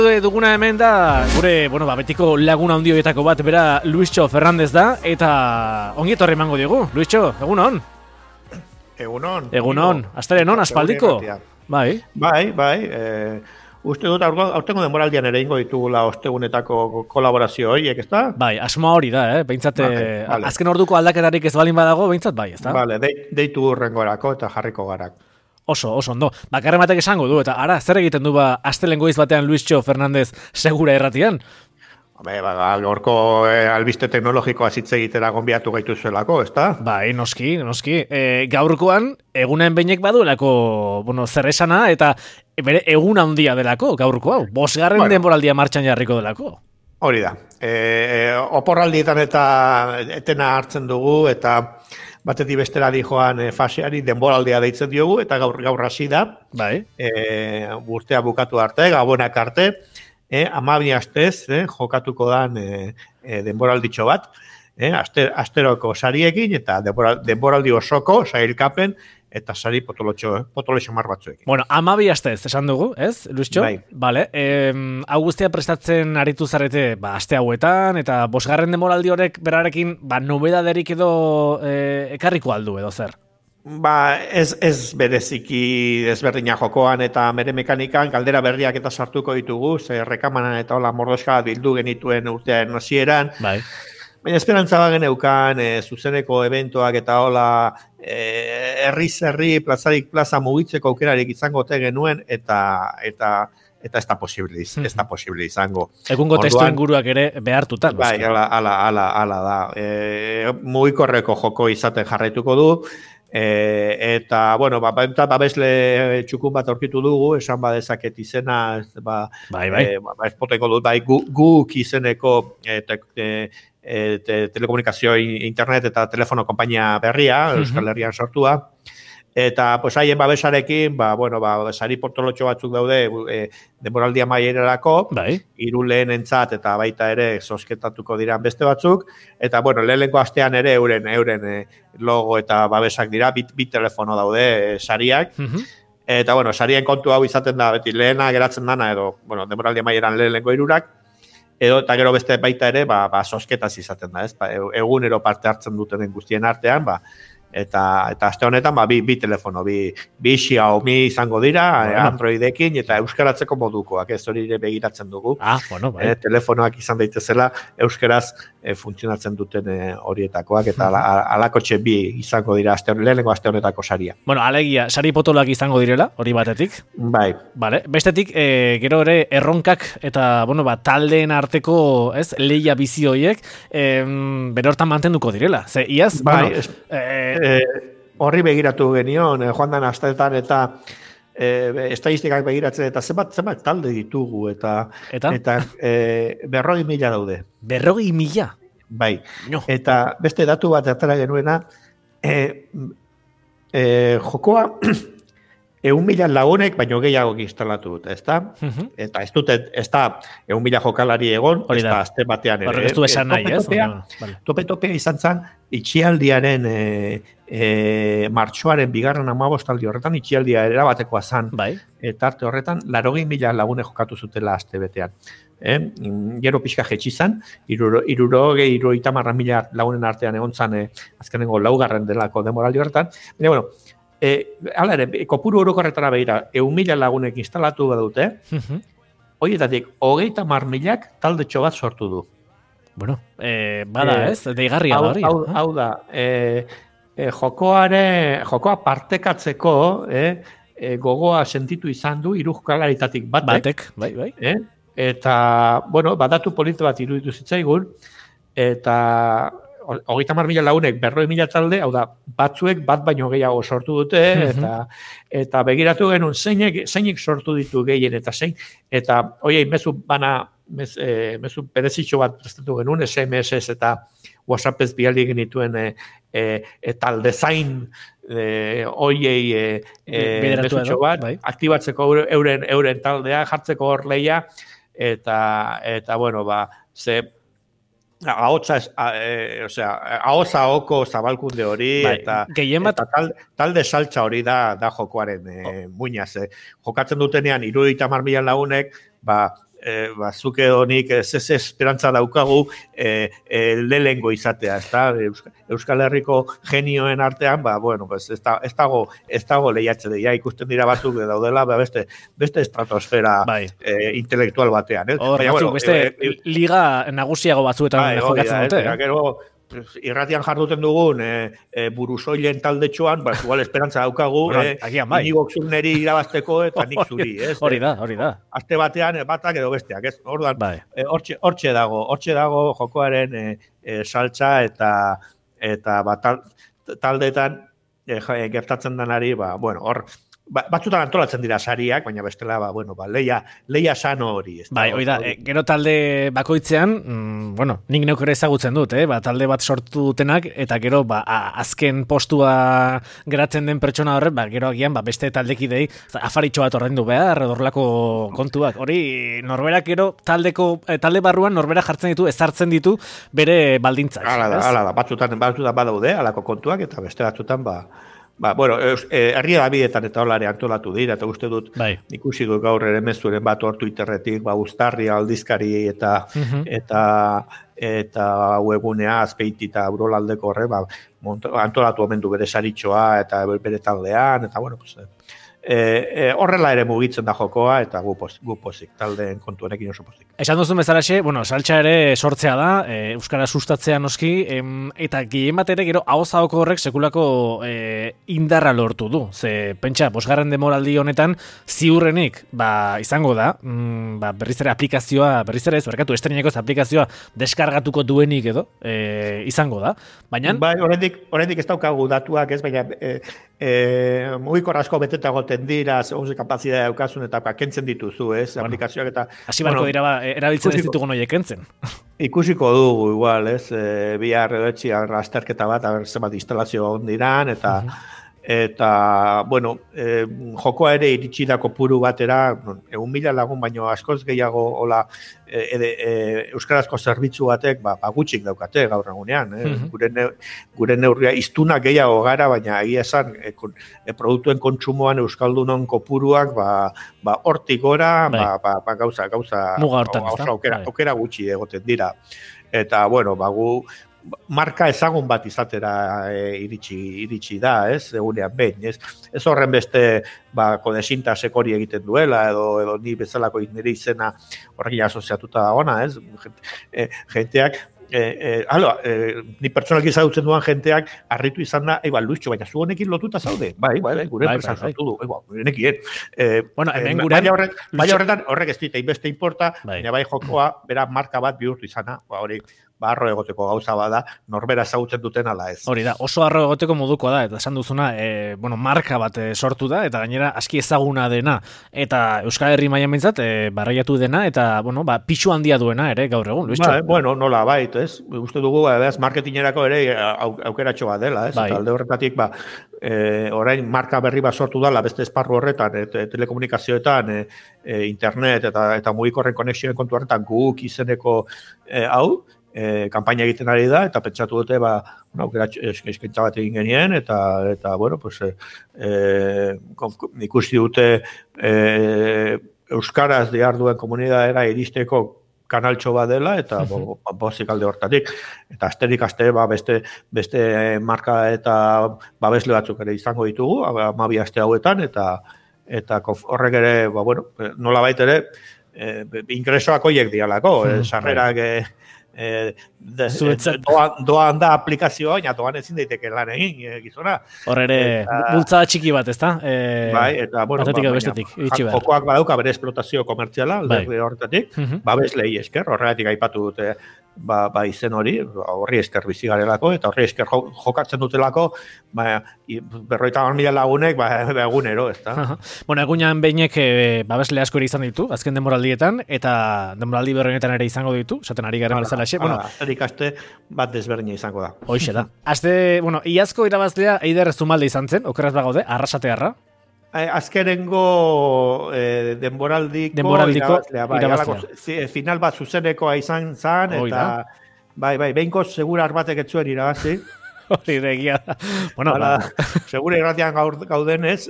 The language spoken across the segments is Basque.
Duguna hemen da, gure, betiko laguna handi horietako bat, bera Luistxo Fernandez da, eta ongi etorri emango diogu. Luistxo, egunon? Egunon, astelehenon, aspaldiko? Bai. Uste dut, aurtengo denboraldian ere ingo ditugula ostegunetako kolaborazio horiek, ezta? Bai, asmoa hori da, behintzat, vale. Azken orduko aldaketarik ez balin badago, behintzat bai, ezta? Vale, deitu urrengorako eta jarriko garak. Oso ondo. Bakarren batek esango du, eta ara, zer egiten du astelen goiz batean Luistxo Fernandez segura erratian? Gaurko albiste teknologikoa hitz egitera gonbiatu gaituzuelako, ezta? Bai, noski. Gaurkoan, egunen beinek baduelako, zer esana, eta bere egun handia delako, gaurko hau. 5. denboraldia martxan jarriko delako. Hori da. Oporraldietan eta etena hartzen dugu, eta batetik bestera dijoan faseari denboraldia deitzen diogu, eta gaur hasi da. Bai. Urtea bukatu arte, gabonak arte, 12 astez jokatuko dan denboralditxo bat, asteroko sariekin, eta denboraldi osoko sailkapen, eta sari potolotxo mar batzuekin. 12 astez, esan dugu, ez, Luistxo? Bai. Vale, hau guztia prestatzen aritu zarete, aste hauetan, eta 5. denboraldi horrek berarekin, nobedaderik edo ekarriko aldu edo zer? Ez bereziki ezberdina jokoan eta mere mekanikan galdera berriak eta sartuko ditugu, rekamanan eta hola mordoska bildu genituen urtean hasieran. Bai. Baina esperantza bagen eukan, zuzeneko eventoak eta hola herri plazarik plaza mugitzeko aukerarik izango te genuen eta ez da posible izango. Egungo testu inguruak ere behartuta. Bai, ala da. Mugikorreko joko izaten jarraituko du. Eta, babesle txukun bat aurkitu dugu, esan badezaket izena, ez potengo dut, guk izeneko telekomunikazio internet eta telefono konpainia berria, Euskal Herrian sortua, eta haien babesarekin, sari portolotxo batzuk daude denboraldia maierarako, 3 lehenentzat eta baita ere zozketatuko diran beste batzuk, eta lehenengo astean ere euren logo eta babesak dira, bi telefono daude sariak, eta sarien kontu hau izaten da, beti lehena geratzen dana, edo denboraldia maieran lehenengo 3, edo eta gero beste baita ere, zozketaz izaten da, ez? Egunero parte hartzen dutenen guztien artean, eta aste honetan bi telefono, bi Xiaomi izango dira, Androidekin eta euskaratzeko modukoak, ez hori begiratzen dugu. Telefonoak izan daitezela euskaraz funtzionatzen duten horietakoak, eta alakotxe bi izango dira lehenengo aste honetako saria. Alegia, sari potoloak izango direla, hori batetik. Bai. Bestetik, gero ere erronkak eta taldeen arteko lehia bizi horiek, bere hortan mantenduko direla. Ze, iaz, horri begiratu genion, joan dan asteetan eta estadistikak begiratzen eta zenbat talde ditugu eta 40.000 daude. 40.000? Bai. No. Eta beste datu bat atera genuena, jokoa 1.000 lagunek baino gehiago instalatu dute, ezta? Eta ez da 1.000 jokalari egon, ez da azte batean ere. Horrek ez du esan nahi, ez? Tope izan zen, itxialdiaren martxoaren 2. 15 horretan, itxialdia erabatekoa zen. Eta arte horretan, 80.000 lagunek jokatu zutela azte betean. Gero pixka jetxi zen, 30.000 lagunen artean egon zen, azkenengo 4. delako demoraldi horretan. Baina, hala ere, kopuru orokorretara behira, 1.000 lagunek instalatu badute, horietatik, 30.000 taldetxo bat sortu du. Bada ez, deigarria da hori. Hau da, jokoa partekatzeko, gogoa sentitu izan du, 3 jokalaritatik batek. Bai. Eta, badatu polite bat iruditu zitzaigun, eta 30.000 lagunek 40.000 talde, hau da, batzuek bat baino gehiago sortu dute, eta begiratu genuen zeinek sortu ditu gehien eta zein, eta horiei mezu berezitxo bat prestatu genuen, SMS eta WhatsAppez bialdi genituen talde zain horiei mezutxo bat, aktibatzeko euren taldea, jartzeko hor lehia, eta ahotsa oko zabalkunde hori, eta talde saltza hori da jokoaren muinaz. Jokatzen dutenean 30.000 lagunek, zuke honik ez esperantza daukagu lehengo izatea, ezta? Euskal Herriko genioen artean, bueno, ez dago lehiatze ja ikusten dira batzuk daudela, beste estratosfera intelektual batean, beste liga nagusiago batzuetan jokatzen dute. Gero, irratian jarduten dugun burusoilen taldetxoan, igual esperantza daukagu, Inigo Zurneri irabazteko eta nik zuri, ez? Hori da. Aste batean, batak edo besteak, ez? Orduan, hortxe dago jokoaren saltza eta taldeetan gertatzen denari, bueno, hor, batzutan antolatzen dira sariak, baina bestela, leia sano hori. Hori da, gero talde bakoitzean, nik neuk ere ezagutzen dut, talde bat sortu dutenak, eta gero, azken postua geratzen den pertsona horret, gero agian, beste taldekidei, afaritxo bat ordaindu behar, horrelako kontuak. Hori, norberak gero, talde barruan, norbera jartzen ditu, ezartzen ditu, bere baldintzak. Hala da, batzutan badaude, halako kontuak, eta beste batzutan, herri edabietan eta holare antolatu dira, eta uste dut, ikusi dut gaur ere mezuren bat hor Twitterretik, Uztarri aldizkari eta webunea Azpeiti eta Urolaldeko horre, antolatu omen du bere saritxoa eta bere taldean, eta horrela ere mugitzen da jokoa, eta gu pozik, taldeen kontuarekin oso pozik. Esan duzun bezalaxe, saltza ere sortzea da, euskara sustatzea noski, eta gehien bat ere gero ahozahoko horrek sekulako indarra lortu du. Ze, pentsa, 5. denboraldi honetan, ziurrenik, izango da, berriz ere aplikazioa, estreinakoz aplikazioa deskargatuko duenik edo, izango da. Baina... Oraindik ez daukagu datuak, ez, baina mugikor asko beteta goten dira, segun kapazitatea daukasun eta kentzen dituzu, ez, aplikazioak eta... Hasi barko dira, erabiltzen ez ditugu noiek kentzen. Ikusiko dugu, igual, ez, bihar edo etxian azterketa bat, zenbat instalazio ondiran, eta, bueno, jokoa ere iritsi da kopuru batera, 1.000 lagun baino askoz gehiago hola euskarazko zerbitzu batek gutxik daukate gaur egunean. Gure neurria iztunak gehiago gara, baina egia esan produktuen kontsumoan euskaldunon kopuruak hortik gora, gauza aukera gutxi egoten dira. Eta, bueno, gu marka ezagun bat izatera iritsi da, ez, egunean behin, ez? Ez horren beste kodesintasek hori egiten duela, edo ni bezalako nire izena horrekin asoziatuta dagona, ez? Jenteak, ni pertsonalki zautzen duan jenteak harritu izan da, Luiztxo, baina zu honekin lotuta zaude? Bai, gure enpresan sortu du, nekien. Baina horretan, horrek ez dit, beste importa, baina bai jokoa, bera marka bat bihurtu izana, hori, arro egoteko gauza bada, norbera ezagutzen duten ala ez. Hori da, oso arro egoteko modukoa da, eta esan duzuna, marka bat sortu da, eta gainera aski ezaguna dena, eta Euskal Herri mailan behintzat, barraiatu dena, eta, pixu handia duena ere gaur egun, Luiztxo. Nola bait, ez? Uste dugu, marketingerako ere aukeratxo bat dela, ez? Eta alde horretatik, orain marka berri bat sortu dela, beste esparru horretan, telekomunikazioetan, internet, eta mugikorren konexioen kontu horretan, guk izeneko hau, kanpaina egiten ari da, eta pentsatu dute, aukera eskaintza bat egin genien, eta bueno, ikusi dute euskaraz diharduen komunitatea iristeko kanaltxo bat dela, eta bozik alde hortatik. Eta asterik aste, beste marka eta babesle batzuk ere izango ditugu, 12 aste hauetan, eta horrek ere, nola bait ere, ingresoak horiek dialako, sarrerak doan da aplikazioa, baina doan ezin daiteke lan egin, gizona. Hor ere, bultzada txiki bat, ezta? Eta, bueno, jokoak badauka bere esplotazio komertziala, alde horretatik, babeslei esker, horregatik aipatu dute izen hori, horri esker bizi garelako, eta horri esker jokatzen dutelako, 50.000 lagunek, egunero, ezta? Bueno, egunean behinek babesle asko ere izan ditu, azken denboraldietan, eta denboraldi berrenetan ere izango ditu, esaten ari garen bezala xe. Asterik aste bat desberdina izango da. Hoxe da. Iazko irabazlea Eider Zumalde izan zen, okeraz bagaude, Arrasatearra. Azkenengo denboraldiko irabazlea. Final bat zuzenekoa izan zen, eta behinko segurar batek etzuen irabazi. Hori regia da. Segura irratian gaudenez,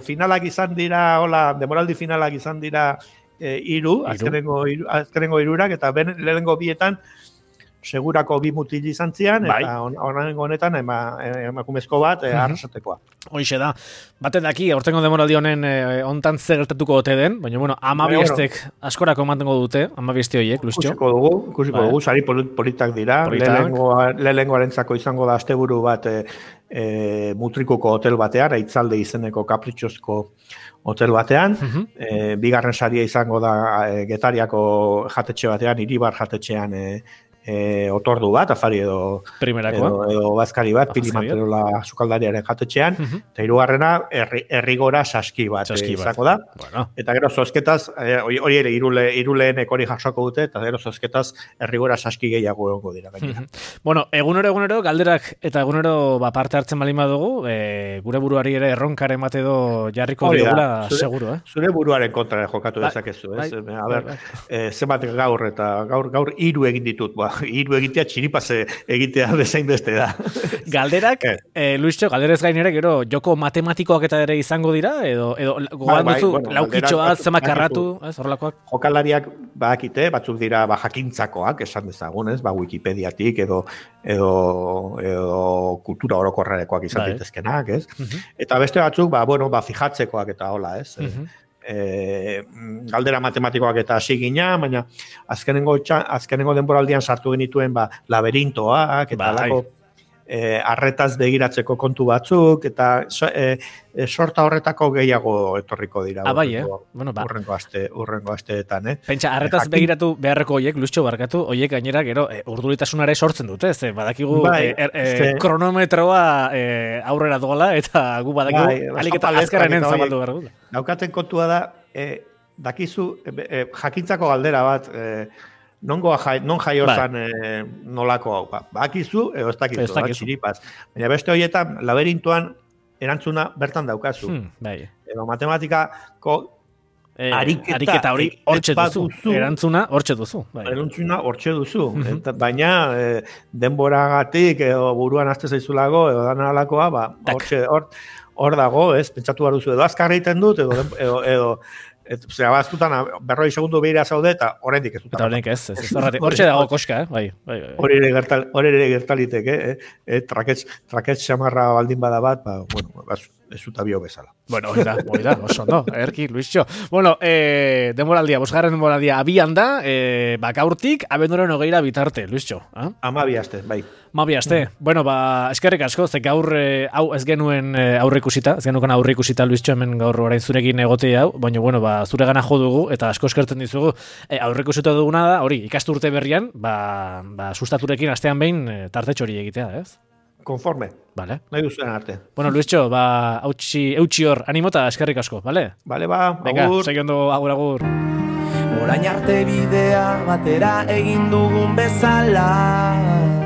finalak izan dira, denboraldi finalak izan dira azkenengo irurak, eta lehenengo bietan, segurako bi mutil izan zian, eta honengo honetan emakumezko bat arrasatekoa. Hoixe da. Baten daki, aurtengo demoraldi honen ontan zer gertatuko ote den, baina, bueno, 12 askorako mantengo dute, 12 horiek, Luistxo. Ikusiko dugu, sari politak dira, lehenengoarentzako izango da asteburu bat mutrikuko hotel batean, Aitzalde izeneko kapritxozko hotel batean, bigarren saria izango da Getariako jatetxe batean, Iribar jatetxean otordu bat, afari edo bazkari bat, Pili Manterola sukaldariaren jatetxean, eta hirugarrena Errigora saski bat izango da. Eta gero zozketaz, hori ere iruleenek hori jasoko dute, eta gero zozketaz Errigora saski gehiago egongo dira. Bueno, egunero galderak eta egunero parte hartzen balin badugu, gure buruari ere erronkaren bat edo jarriko diogula seguro, Zure buruaren kontra jokatu dezakezu, ez? A ber, zenbat gaur eta gaur 3 egin ditut, hiru egitea txiripaz egitea bezain beste da. Galderak, Luistxo, galderez gainera, gero, joko matematikoak eta ere izango dira, edo gogan duzu, laukitxoa, zemak karratu, horrelakoak? Jokalariak badakite, batzuk dira jakintzakoak, esan dezagun, Wikipediatik, edo kultura orokorrarekoak izan ditezkenak, ez? Eta beste batzuk, fijatzekoak eta hola, ez? Galdera matematikoak eta hasi gina, baina azkenengo denboraldian sartu genituen laberintoak eta lako arretaz begiratzeko kontu batzuk eta sorta horretako gehiago etorriko dira. Urrengo asteetan. Pentsa, arretaz begiratu beharreko hoiek, Luistxo barkatu, hoiek gainera gero urduritasunare sortzen dute, badakigu kronometroa aurrera doala eta gu badakigu alik eta azkarrenen zabaldu behar dut. Daukaten kontua da, dakizu jakintzako galdera bat, non jaio zan nolako hau. Bakizu, edo ez dakizu, txiripaz. Baina beste horietan, laberintuan erantzuna bertan daukazu. Edo matematikako ariketa hori hortxe duzu. Erantzuna hortxe duzu. Erantzuna hortxe duzu. Baina denboragatik edo buruan azte zaizulago edo dana alakoa, hor dago, pentsatu behar duzu. Edo azkar egiten dut, edo azkutan 40 segundu behira zaude eta horrendik ez dut. Eta horrendik ez. Hortxe dago koska, Hori ere gertalitek, traketz xamarra baldin bada bat, ez dut abio bezala. Bueno, hori da, oso, no? Erki, Luistxo. Bueno, bosgarren demoraldia abian da, gaurtik, abenduaren 20 bitarte, Luistxo. 12 aste, bai. 12 aste. Bueno, eskerrik asko, ze gaur hau ez genuen aurreikusita, Luistxo, hemen gaur orain zurekin egotea hau, baina, bueno, zure gana jo dugu, eta asko eskertzen dizugu, aurreikusita duguna da, hori, ikasturte berrian, sustaturekin astean behin tartetxo hori egitea, ez? Konforme. Vale. Nahi duzuen arte. Bueno, Luistxo, eutxi hor, animota, eskerrik asko, vale? Vale, venga, segiondo, agur. Orain arte bidea batera egin dugun bezala.